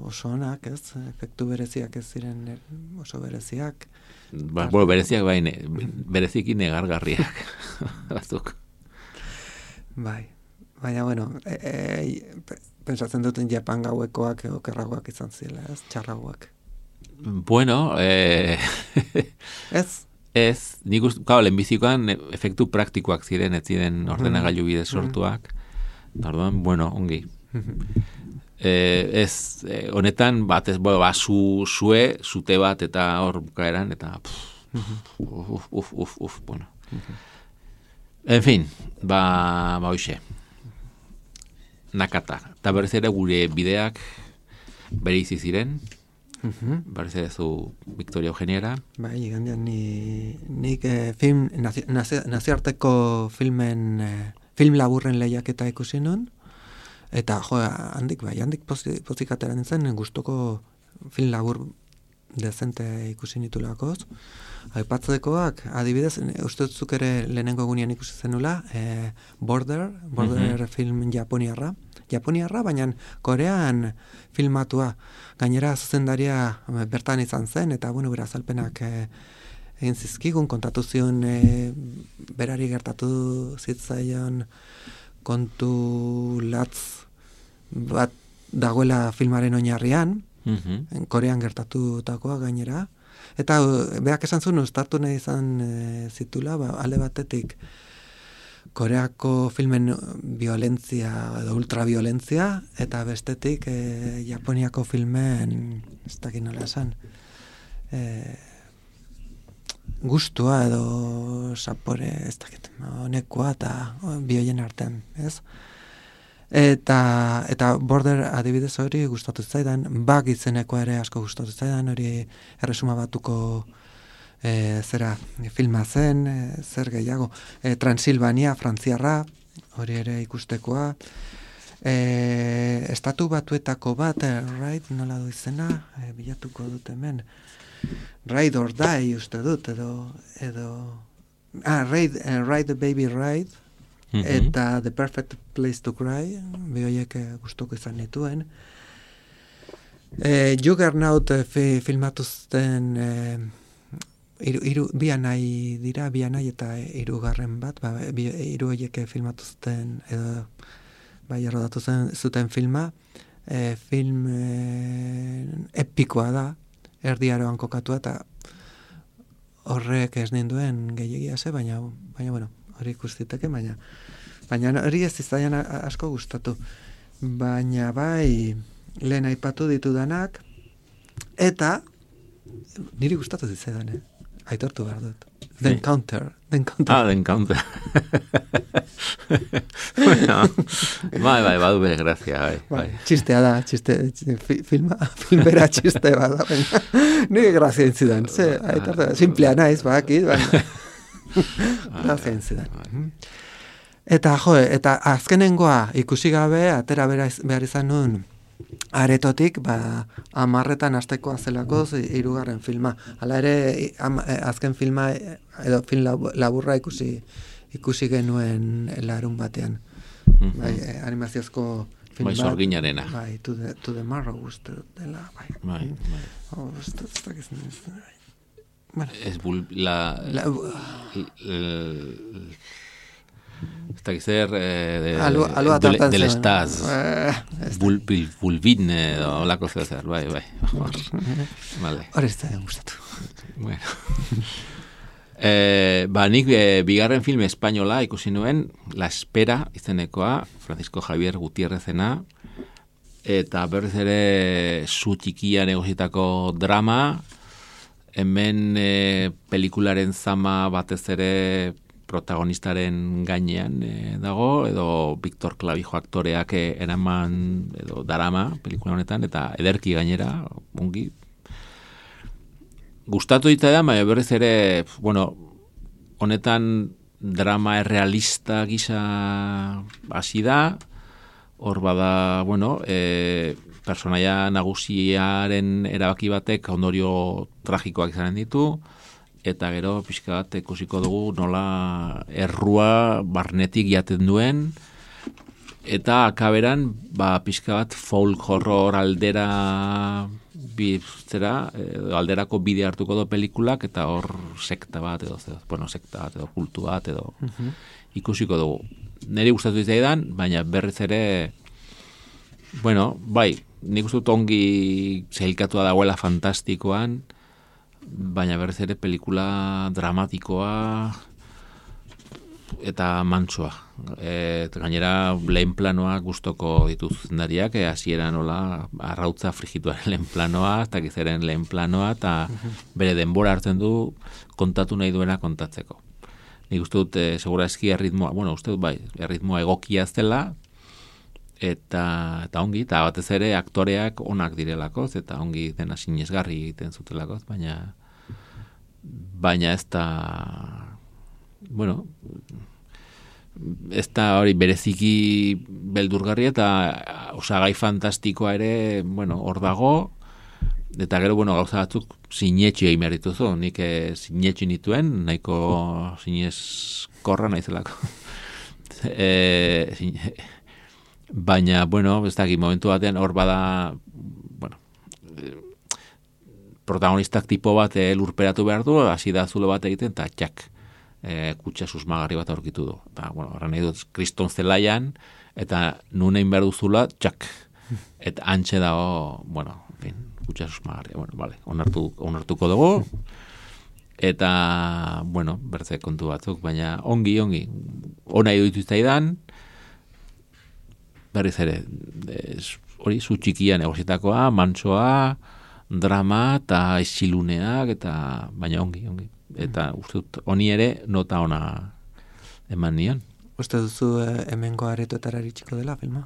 oso onak, ez? Efektu bereziak ez ziren oso bereziak. Ba, bueno, bereziak bai, ne, bereziki negargarriak batzuk. Bai, baina, bueno, e, e, pensatzen duten Japan gauekoak okerragoak izan zila, ez? Txarragoak. Bueno, eh... ez? Ez, nik uste, kau, lehenbizikoan efektu praktikoak ziren, ez ziren ordenagailu bidez sortuak. Orduan, bueno, ongi. Eh, ez, eh, honetan, bat ez, bueno, ba, su, sue, zute bat, eta hor bukaeran, eta pff, uf, uf, uf, uf, bueno. En fin, ba, ba, hoxe. Nakata. Eta berriz ere gure bideak bereizi ziren. Uh-huh. Berriz ere zu Victoria Eugeniara. Bai, igandean ni, nik eh, film, nazi, nazi, naziarteko filmen, eh, film laburren lehiaketa ikusi nun. Eta, jo, handik, bai, handik pozik atera nintzen, gustoko film labur dezente ikusi nitulakoz. Aipatzekoak, adibidez, uste zuk ere lehenengo egunean ikusi zenula, eh, Border, Border uh-huh. film japoniarra. Japoniarra, baina Korean filmatua. Gainera zuzendaria bertan izan zen, eta, bueno, bera azalpenak eh, egin zizkigun, kontatu zion eh, berari gertatu zitzaion kontu latz bat dagoela filmaren oinarrian, uh-huh. Korean gertatutakoa gainera, eta berak esan zuen ustartu nahi izan e, zitula, ba, alde batetik Koreako filmen violentzia edo ultraviolentzia, eta bestetik e, Japoniako filmen, ez dakit nola esan, e, gustua edo sapore, ez dakit, honekoa eta bioien artean, ez? Eta, eta Border adibidez hori gustatu zaidan, bak izenekoa ere asko gustatu zaidan, hori erresuma batuko e, zera filma zen, e, zer gehiago, e, Transilvania, frantziarra, hori ere ikustekoa, e, estatu batuetako bat, e, right, nola du izena, e, bilatuko dut hemen, Ride or Die uste dut, edo, edo ah, Ride, uh, Ride the Baby Ride, mm-hmm. eta The Perfect Place to Cry, bioiek gustoko izan nituen. E, Juggernaut fi, filmatuzten e, iru, iru, bianai dira, bianai eta hirugarren bat, ba, bi, iru horiek filmatuzten, edo bai errodatu zen, zuten filma, e, film e, epikoa da, erdiaroan kokatua, eta horrek ez ninduen gehiagia ze, baina, baina bueno, hori ikustiteke, baina baina hori ez izaian asko gustatu. Baina bai, lehen aipatu ditudanak, eta niri gustatu zitzaidan, eh? Aitortu behar dut. The Encounter. The Encounter. Ah, The Encounter. Bueno, bai, bai, badu bere grazia, bai, bai. Txistea da, txiste, txiste filma, filmera txiste bada, baina nire grazia intzidan, ze, aitortu, simplea naiz, bakit, baina grazia intzidan. Eta, jo, eta azkenengoa ikusi gabe, atera behar izan nun, aretotik, ba, amarretan astekoa zelakoz, hirugarren filma. Hala ere, am, azken filma, edo film laburra ikusi ikusi genuen larun batean. Mm-hmm. Bai, animaziozko film bai, bat. Sorginarena. Bai, to the, to the Marrow uste dela, bai. Bai, bai. Oh, uste, uste, uste, uste, bueno. Ez bul, la... la Eta gizer eh, de, de, del estaz Bul, bulbin edo olako zer, bai, bai. Vale. Hora ez da gustatu. Bueno. eh, ba, nik eh, bigarren film espainola ikusi nuen, La Espera izenekoa, Francisco Javier Gutiérrezena, eta berriz ere zu txikian egositako drama, hemen eh, pelikularen zama batez ere protagonistaren gainean e, dago, edo Victor Clavijo aktoreak e, eraman, edo darama, pelikula honetan, eta ederki gainera, ongi. Gustatu dita da, baina berriz ere, bueno, honetan drama errealista gisa hasi da, hor bada, bueno, e, personaia nagusiaren erabaki batek ondorio tragikoak izanen ditu, eta gero pixka bat ikusiko dugu nola errua barnetik jaten duen, eta akaberan ba, pixka bat folk horror aldera biztera, alderako bide hartuko do pelikulak, eta hor sekta bat edo, bueno, sekta bat edo kultu bat edo uh-huh. ikusiko dugu. Neri gustatu izaidan, baina berriz ere, bueno, bai, nik uste dut ongi zeilkatua dagoela fantastikoan, baina berriz ere pelikula dramatikoa eta mantsoa. E, gainera lehen planoa gustoko dituz zuzendariak, e, hasiera nola arrautza frigituaren lehen planoa, eta gizeren lehen planoa, eta bere denbora hartzen du kontatu nahi duena kontatzeko. Nik uste dut, e, segura eski erritmoa, bueno, uste dut bai, erritmoa egokia zela, eta, eta ongi, eta batez ere aktoreak onak direlakoz, eta ongi dena sinesgarri egiten zutelakoz, baina baina ez da, bueno, ez da hori bereziki beldurgarria, eta osagai fantastikoa ere, bueno, hor dago, eta gero, bueno, gauza batzuk sinetxe egin behar dituzu, nik sinetxe nituen, nahiko sineskorra naizelako. e, sine, baina, bueno, ez da, momentu batean hor bada, bueno, protagonistak tipo bat e, lurperatu behar du, hasi da zulo bat egiten, eta txak, e, kutsa susmagarri bat aurkitu du. Eta, bueno, horren nahi dut, kriston zelaian, eta nunein behar duzula, txak. Eta antxe dago, bueno, en fin, kutsa susmagarri. Bueno, vale, onartu, onartuko dugu, eta, bueno, bertze kontu batzuk, baina ongi, ongi, ona iduitu izaidan, berriz ere, hori, zu txikian egositakoa, mantsoa, drama eta esiluneak, eta baina ongi, ongi. Eta uste dut, honi ere nota ona eman nion. Uste duzu eh, hemengo aretoetara iritsiko dela filma?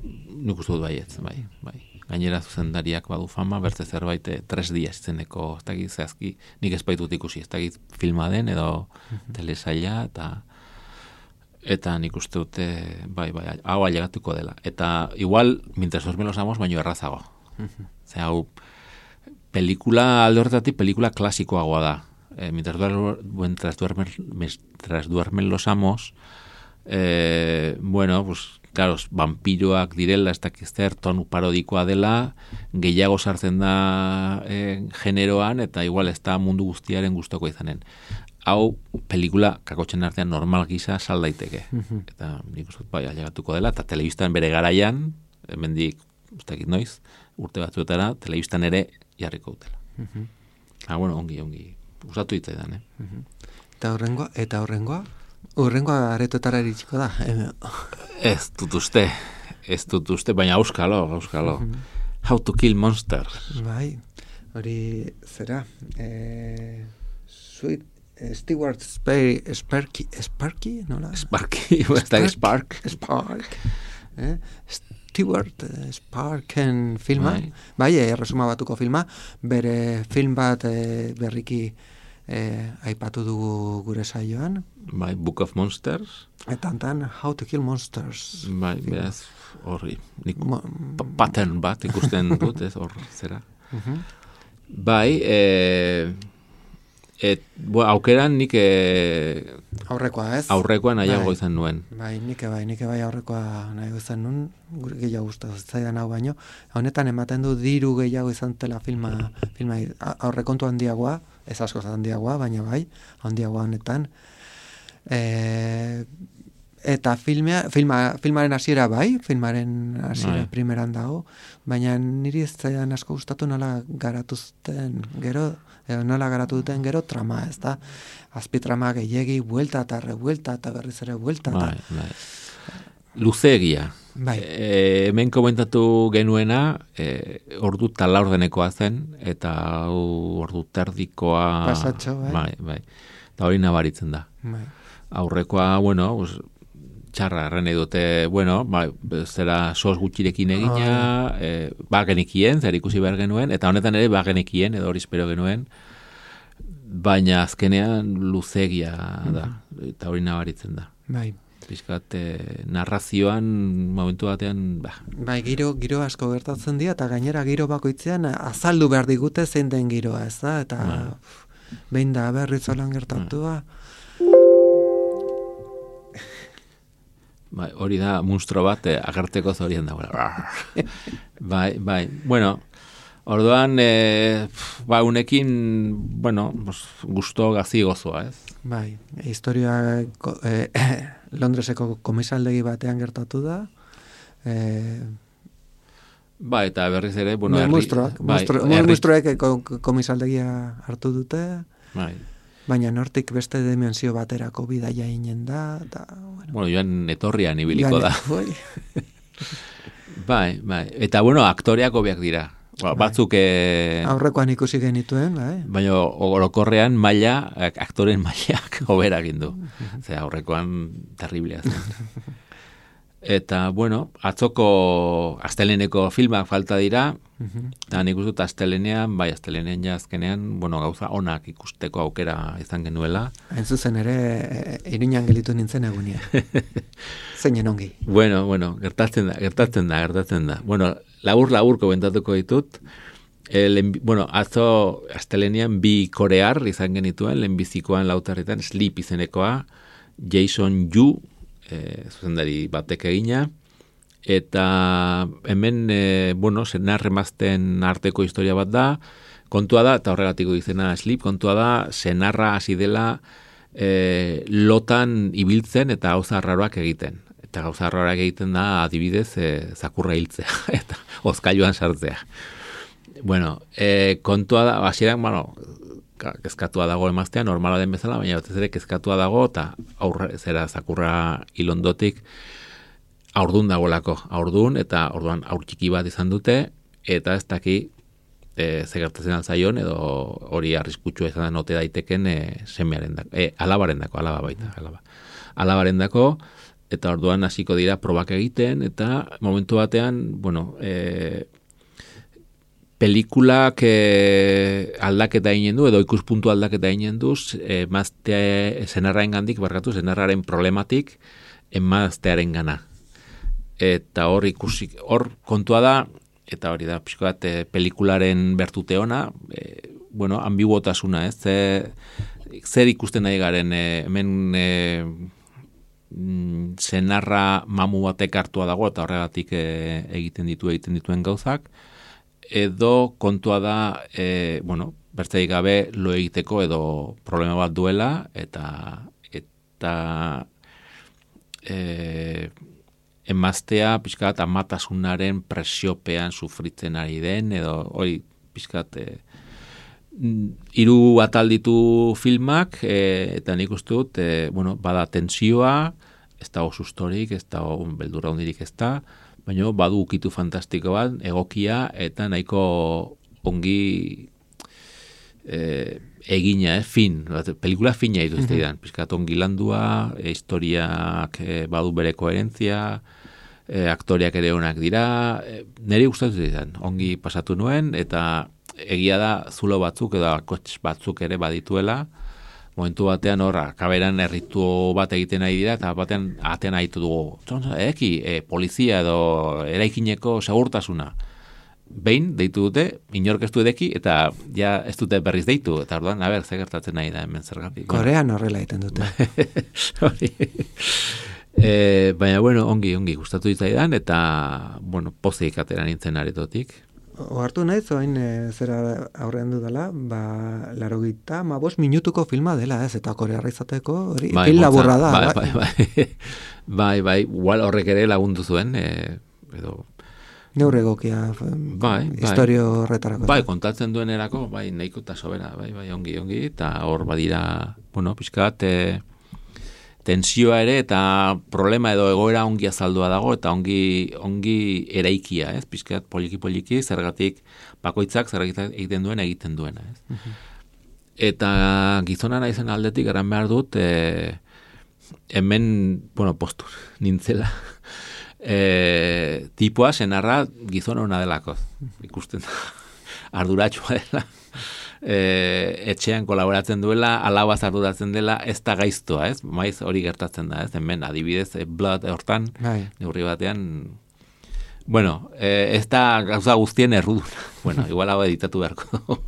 Nik uste dut baietz, bai, bai. Gainera zuzendariak badu fama, bertze zerbait tres dias zeneko, ez dakit zehazki, nik ez baitut ikusi, ez dakit filma den edo uh-huh. telesaila, eta eta nik uste dute, bai, bai, hau ailegatuko dela. Eta igual, mientras duermen los amos, baino errazago. Uh-huh. Ze hau, pelikula alde horretatik, pelikula klasikoagoa da. Eh, mientras, duer, mientras, duermen, mientras duermen los amos, eh, bueno, pues, claro, vampiroak direla, ez dakizter, tonu parodikoa dela, gehiago sartzen da eh, generoan, eta igual ez da mundu guztiaren gustoko izanen. Hau, pelikula kakotxen artean normal gisa sal daiteke. Uh-huh. Eta nik uste, bai, ailegatuko dela, eta telebistan bere garaian, hemendik, ez dakit noiz, urte batzuetara, telebistan ere jarriko dutela. Uh-huh. Ah, bueno, ongi, ongi. Usatu ditzaidan, eh? Uh-huh. Eta horrengoa, eta horrengoa? Horrengoa aretotara iritsiko da. Ez dut uste, ez dut uste, baina auskalo, auskalo. Uh-huh. How to Kill Monsters. Bai, hori zera. Eh, sweet, eh, Stewart Sparky, Sparky, Sparky, nola? Sparky, Spark, Spark. Spark. Eh? Stewart Sparken filma, bai, bai erresuma batuko filma, bere film bat e, berriki e, aipatu dugu gure saioan. Bai, Book of Monsters. Eta antan, How to Kill Monsters. Bai, beraz, horri, nik Mo, pattern bat ikusten dut, ez hor zera. Uh-huh. Bai, e, et, bo, aukeran nik e, aurrekoa, ez? Aurrekoa nahiago bai, izan nuen. Bai, nik bai, nik bai aurrekoa nahiago izan nuen, gure gehiago gustatu zaidan hau baino. Honetan ematen du diru gehiago izan tela filma, filma aurrekontu handiagoa, ez asko handiagoa, baina bai, handiagoa honetan. E, eta filmea, filma, filmaren hasiera bai, filmaren hasiera bai, primeran dago, baina niri ez zaidan asko gustatu nola garatuzten gero, edo nola garatu duten gero trama, ez da? Azpitrama gehiegi, buelta eta rebuelta eta berriz ere buelta. Bai, bai. Luzeegia. Bai. E, hemen komentatu genuena, e, ordu talaurdenekoa zen, eta ordu terdikoa... Pasatxo, bai. Bai, bai. Eta hori nabaritzen da. Bai. aurrekoa, bueno, pues, txarra erren dute, bueno, ba, zera sos gutxirekin egina, oh. e, ba genekien, zer ikusi behar genuen, eta honetan ere ba genekien, edo hori espero genuen, baina azkenean luzegia da, eta hori nabaritzen da. Bai. Piskat, eh, narrazioan momentu batean, ba. Bai, giro, giro asko gertatzen dira, eta gainera giro bakoitzean azaldu behar digute zein den giroa, ez da? Eta ba. Behin da berriz olan gertatua. Bai, hori da monstro bat eh, agerteko zorien dagoela. bai, bai. Bueno, orduan, eh, ba, unekin, bueno, gusto gazi gozoa, ez? Bai, historia eh, Londreseko komisaldegi batean gertatu da. Eh, ba, eta berriz ere, bueno, herri... Mustroak, bai, mustroek komisaldegia hartu dute. Bai. Baina nortik beste dimensio baterako bidaia inen da. Da bueno. bueno, joan etorrian ibiliko da. bai, bai. Eta, bueno, aktoreak hobeak dira. Ba, batzuk... E... aurrekoan ikusi genituen, bai. Baina orokorrean maila, aktoren mailak hobera gindu. Zer, aurrekoan terriblea zen. Eta, bueno, atzoko asteleneko filmak falta dira, eta nik uste dut astelenean, bai, astelenean ja azkenean, bueno, gauza onak ikusteko aukera izan genuela. Hain zuzen ere, Iriñan gelitu nintzen egunia. Zeinen ongi. Bueno, bueno, gertatzen da, gertatzen da, gertatzen da. Bueno, labur-labur komentatuko ditut, el, bueno, atzo astelenean bi korear izan genituen, lehenbizikoan lautarretan, Sleep izenekoa, Jason Yu, E, zuzendari batek egina, eta hemen, e, bueno, senarremazten arteko historia bat da, kontua da, eta horregatiko izena Sleep, kontua da, senarra hasi dela e, lotan ibiltzen eta gauza arraroak egiten. Eta gauza arraroak egiten da, adibidez, e, zakurra hiltzea, eta ozkailuan sartzea. Bueno, e, kontua da, hasieran, bueno, kezkatua dago emaztea, normala den bezala, baina batez ere kezkatua dago, eta aurre, zera zakurra ilondotik aurdun dagoelako, aurdun, eta orduan aur txiki bat izan dute, eta ez daki e, zegertatzen altzaion, edo hori arriskutsua izan da note daiteken e, semearen dako, e, alabaren dako, alaba baita, alaba. Alabaren dako, eta orduan hasiko dira probak egiten, eta momentu batean, bueno, e, pelikulak eh, aldaketa eginen du, edo ikuspuntu aldaketa eginen du, eh, mazte zenarraren gandik, barkatu, zenarraren problematik, emaztearen gana. Eta hor ikusi, hor kontua da, eta hori da, pixko bat, eh, pelikularen bertute ona, eh, bueno, ambiguotasuna, ez, zer, zer ikusten nahi garen, eh, hemen eh, zenarra mamu batek hartua dago, eta horregatik eh, egiten ditu, egiten dituen gauzak, edo kontua da, e, bueno, bertzeik gabe lo egiteko edo problema bat duela, eta eta e, emaztea pixkat amatasunaren presiopean sufritzen ari den, edo hori pixkat e, hiru atal ditu filmak, e, eta nik uste dut, e, bueno, bada tensioa, ez dago sustorik, ez dago beldurra hundirik ez da, baina badu ukitu fantastiko bat, egokia, eta nahiko ongi e, egina, eh, fin, pelikula fina dituzte idan, pizkat ongi landua, e, historiak e, badu bere koherentzia, e, aktoriak ere onak dira, e, niri gustatu zidan, ongi pasatu nuen, eta egia da zulo batzuk edo kotx batzuk ere badituela, momentu batean horra, kaberan erritu bat egiten nahi dira, eta batean atean ahitu dugu. Eki, e, polizia edo eraikineko segurtasuna. Behin, deitu dute, inork ez du edeki, eta ja ez dute berriz deitu. Eta orduan, a ber, ze gertatzen nahi da hemen zergatik. Korean horrela egiten dute. e, baina, bueno, ongi, ongi, gustatu ditzaidan, eta, bueno, pozik atera nintzen aretotik. Ohartu naiz, oain e, zera aurrean dudala, ba, laro gita, ma bos minutuko filma dela, ez, eta korearra izateko, hori, bai, pil laburra da. Bai, bai, bai, bai, bai, igual horrek ere lagundu zuen, e, edo... Neure egokia, bai, historio horretarako. Bai, kontatzen duen erako, bai, nahiko eta sobera, bai, bai, ongi, ongi, eta hor badira, bueno, pixkat, e, tensioa ere, eta problema edo egoera ongi azaldua dago, eta ongi, ongi eraikia, ez? Pizkat poliki-poliki, zergatik bakoitzak, zergatik egiten duen, egiten duena, ez? Uh-huh. Eta gizona naizen aldetik, eran behar dut, e, hemen, bueno, postur, nintzela, e, tipoa senarra gizon hona delako, ikusten da, arduratxua dela, e, etxean kolaboratzen duela, alabaz arduratzen dela, ez da gaiztoa, ez? Maiz hori gertatzen da, ez? Hemen adibidez, e, blood hortan, neurri batean, bueno, e, ez da gauza guztien erruduna, bueno, igual hau editatu beharko.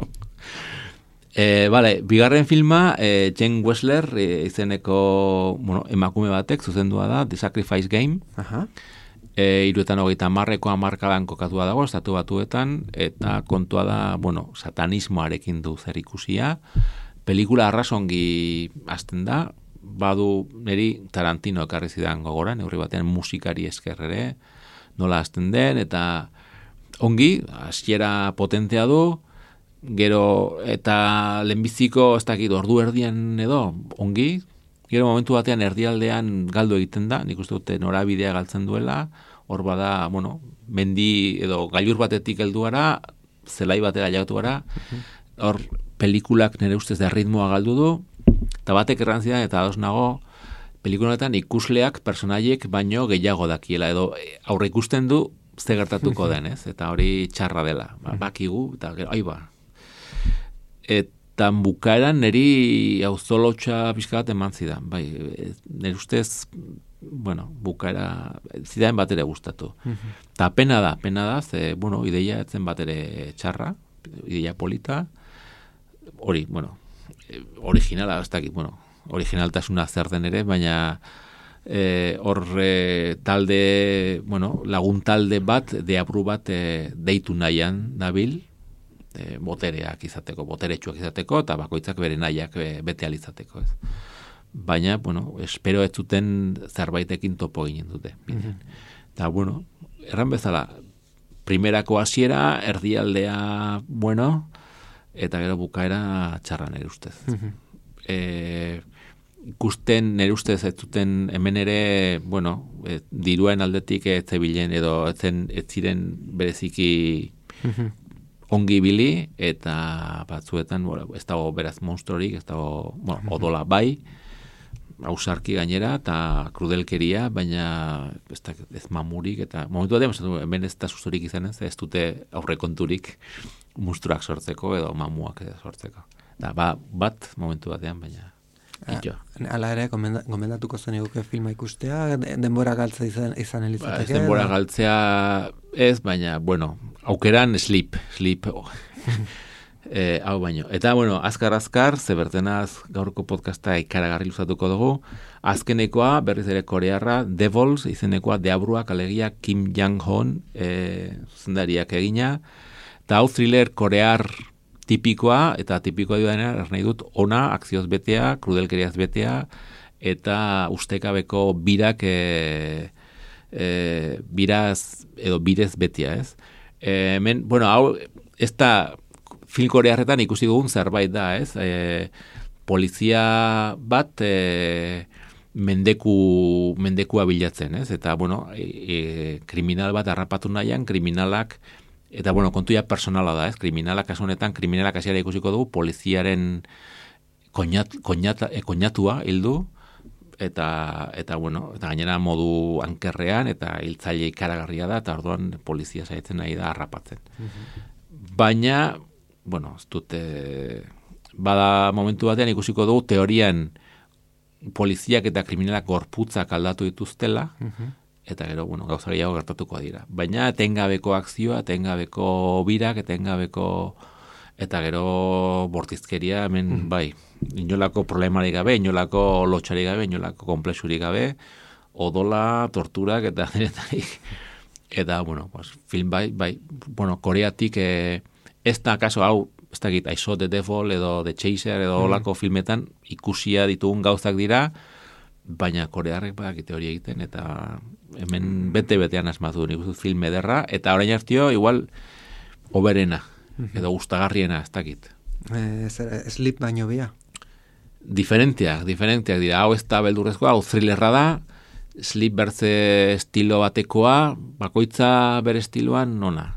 E, vale, bigarren filma, e, Jane Wessler e, izeneko, bueno, emakume batek zuzendua da, The Sacrifice Game. Aha. E, iruetan hogeita marreko amarkadan kokatua dago, estatu batuetan, eta kontua da, bueno, satanismoarekin du zer ikusia. Pelikula arrasongi hasten da, badu neri Tarantino ekarri zidan gogora, neurri batean musikari esker ere, nola hasten den, eta ongi, hasiera potentea du, gero eta lehenbiziko ez dakit ordu erdian edo ongi, gero momentu batean erdialdean galdu egiten da, nik uste dute norabidea galtzen duela, hor bada, bueno, mendi edo gailur batetik helduara, zelai batera jagatu gara, hor pelikulak nire ustez da ritmoa galdu du, eta batek errantzidan eta ados nago, pelikuletan ikusleak, personaiek baino gehiago dakiela, edo aurre ikusten du ze gertatuko den, ez? Eta hori txarra dela, ba, bakigu, eta gero, aiba, eta bukaeran niri auzolotxa pixka bat eman zidan, bai, nire ustez, bueno, bukaera zidan bat ere gustatu. Eta pena da, pena da, ze, bueno, ideia etzen bat ere txarra, ideia polita, hori, bueno, originala, ez dakit, bueno, originaltasuna zer den ere, baina hor e, talde, bueno, lagun talde bat, deabru bat e, deitu nahian dabil, E, botereak izateko, boteretsuak izateko, eta bakoitzak bere nahiak e, bete alizateko, ez. Baina, bueno, espero ez zuten zerbaitekin topo ginen dute. Mm-hmm. Eta, bueno, erran bezala, primerako hasiera, erdialdea, bueno, eta gero bukaera txarra nire ustez. Mm-hmm. E, ikusten nire ustez ez zuten hemen ere, bueno, e, diruen aldetik ez zebilen edo ez, zen, ez ziren bereziki mm-hmm. ongi bili, eta batzuetan, bueno, ez dago beraz monstruorik, ez dago, bueno, odola bai, ausarki gainera, eta krudelkeria, baina ez, da, ez mamurik, eta momentu batean, hemen ez da sustorik izan ez, ez dute aurrekonturik monstruak sortzeko, edo mamuak sortzeko. Da, ba, bat momentu batean, baina ito. Hala ere, gomendatuko zen eguke filma ikustea, denbora galtza izan, izan elizateke? Ba, ez denbora galtzea ez, baina, bueno, aukeran sleep, sleep, oh. e, hau baino. Eta, bueno, azkar-azkar, zebertenaz gaurko podcasta ikaragarri luzatuko dugu, azkenekoa, berriz ere korearra, Devils, izenekoa, deabruak, alegia Kim Jang-hon, e, zuzendariak egina, eta hau thriller korear tipikoa, eta tipikoa duena, ernai dut, ona, akzioz betea, krudelkeriaz betea, eta ustekabeko birak, e, e, biraz, edo birez betea, ez? E, men, bueno, hau, ez da film korearretan ikusi dugun zerbait da, ez? E, polizia bat e, mendeku, mendekua bilatzen, ez? Eta, bueno, e, e, kriminal bat harrapatu nahian, kriminalak, eta, bueno, kontuia personala da, ez? Kriminalak, kasu honetan, kriminalak hasiera ikusiko dugu, poliziaren koñat, koñat, e, koñatua hildu, eta, eta, bueno, eta gainera modu ankerrean, eta hiltzaile ikaragarria da, eta orduan polizia saiatzen nahi da harrapatzen. Mm-hmm. Baina, bueno, ez dute, bada momentu batean ikusiko dugu, teorian poliziak eta kriminalak gorputzak aldatu dituztela, mm-hmm. eta gero, bueno, gauza gehiago gertatuko dira. Baina, etengabeko akzioa, etengabeko birak, etengabeko, eta gero bortizkeria, hemen, mm. bai, inolako problemarik gabe, inolako lotxarik gabe, inolako komplexurik gabe, odola, torturak, eta denetarik. Eta, bueno, pues, film bai, bai, bueno, koreatik, eh, ez da, kaso, hau, ez da git, I Saw the Devil, edo The Chaser, edo mm. olako filmetan, ikusia ditugun gauzak dira, baina korearrek badakite hori egiten, eta hemen bete-betean asmatu nik uzut film ederra, eta orain hartio, igual, oberena, edo gustagarriena, ez dakit. Eh, Sleep baino bia. Diferenteak, diferenteak dira, hau ez da beldurrezkoa, hau thrillerra da, Sleep bertze estilo batekoa, bakoitza bere estiloan nona.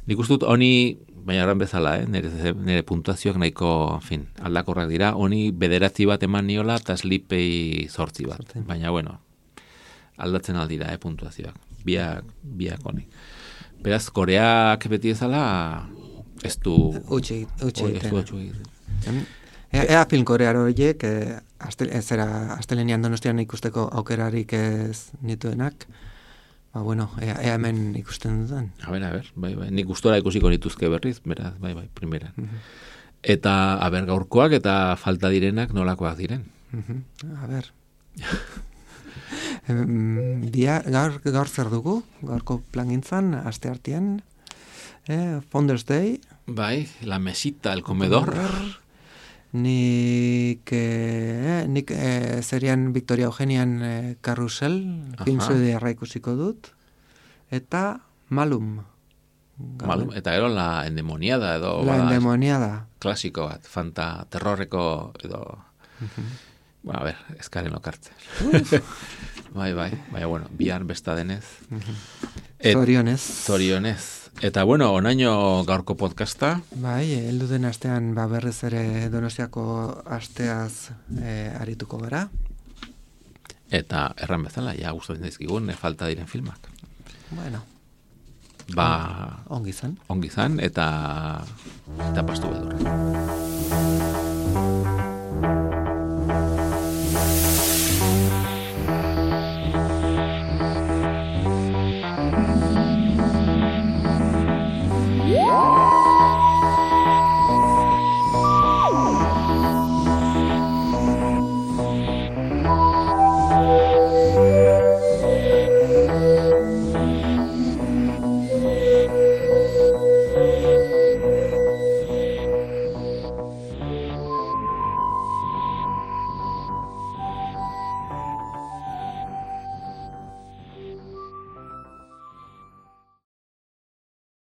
Nik uste dut, honi baina erran bezala, eh? nire, nire puntuazioak nahiko, en fin, aldakorrak dira, honi bederatzi bat eman niola, eta slipei zortzi bat. Zortzi. Baina, bueno, aldatzen aldira, eh, puntuazioak. Biak, biak honi. Beraz, Koreak beti ezala, ez du... Utsi, utsi. Ez du utsi. Ea, ea film korearo horiek, eh, astel, zera, astelenian Donostian ikusteko aukerarik ez nituenak, ba, bueno, ea, ea hemen ikusten dudan. A ber, a ber, bai, bai, nik gustora ikusiko nituzke berriz, beraz, bai, bai, primeran. Uh-huh. Eta, a ber, gaurkoak eta falta direnak nolakoak diren. Uh-huh. A ber. Dia, gaur, gaur zer dugu, gaurko plangintzan, aste artean, eh, Founders Day. Bai, la mesita, el comedor. comedor. Nik, eh, nik eh, serian Victoria Eugenian eh, Carrusel, film suediarra ikusiko dut, eta Malum. Malum, eta gero la endemoniada edo... La endemoniada. Klasiko bat, fanta, terrorreko edo... Uh-huh. Bueno, a ver, eskaren lokartzen. bai, bai, bai, bueno, bihar besta denez. Uh-huh. Et, zorionez. Zorionez. Eta, bueno, onaino gaurko podcasta. Bai, heldu den astean ba, berriz ere Donostiako asteaz e, arituko gara. Eta erran bezala, ja gustatzen dizkigun, e, falta diren filmak. Bueno. Ba... Ongi zan. Ongi zan, eta... eta pastu bedurra.